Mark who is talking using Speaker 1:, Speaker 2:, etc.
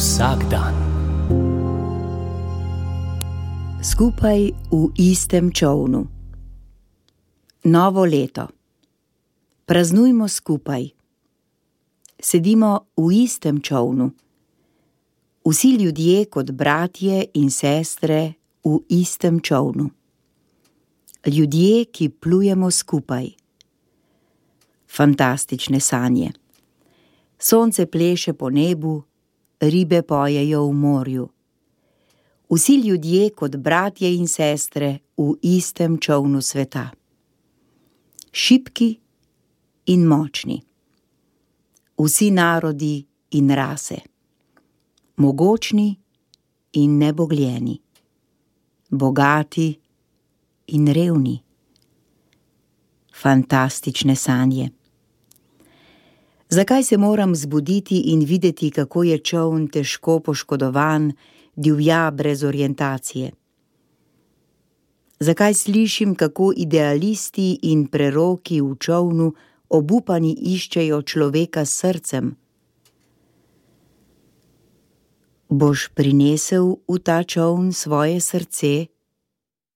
Speaker 1: Vsak dan.
Speaker 2: Skupaj v istem čolnu. Novo leto. Praznujmo skupaj. Sedimo v istem čolnu. Vsi ljudje kot bratje in sestre v istem čolnu. Ljudje, ki plujemo skupaj. Fantastične sanje. Sonce pleše po nebu, ribe pojejo v morju. Vsi ljudje kot bratje in sestre v istem čolnu sveta. Šibki in močni. Vsi narodi in rase. Mogočni in nebogljeni. Bogati in revni. Fantastične sanje. Zakaj se moram zbuditi in videti, kako je čoln težko poškodovan, divja brez orientacije? Zakaj slišim, kako idealisti in preroki v čolnu obupani iščejo človeka s srcem? Boš prinesel v ta čoln svoje srce,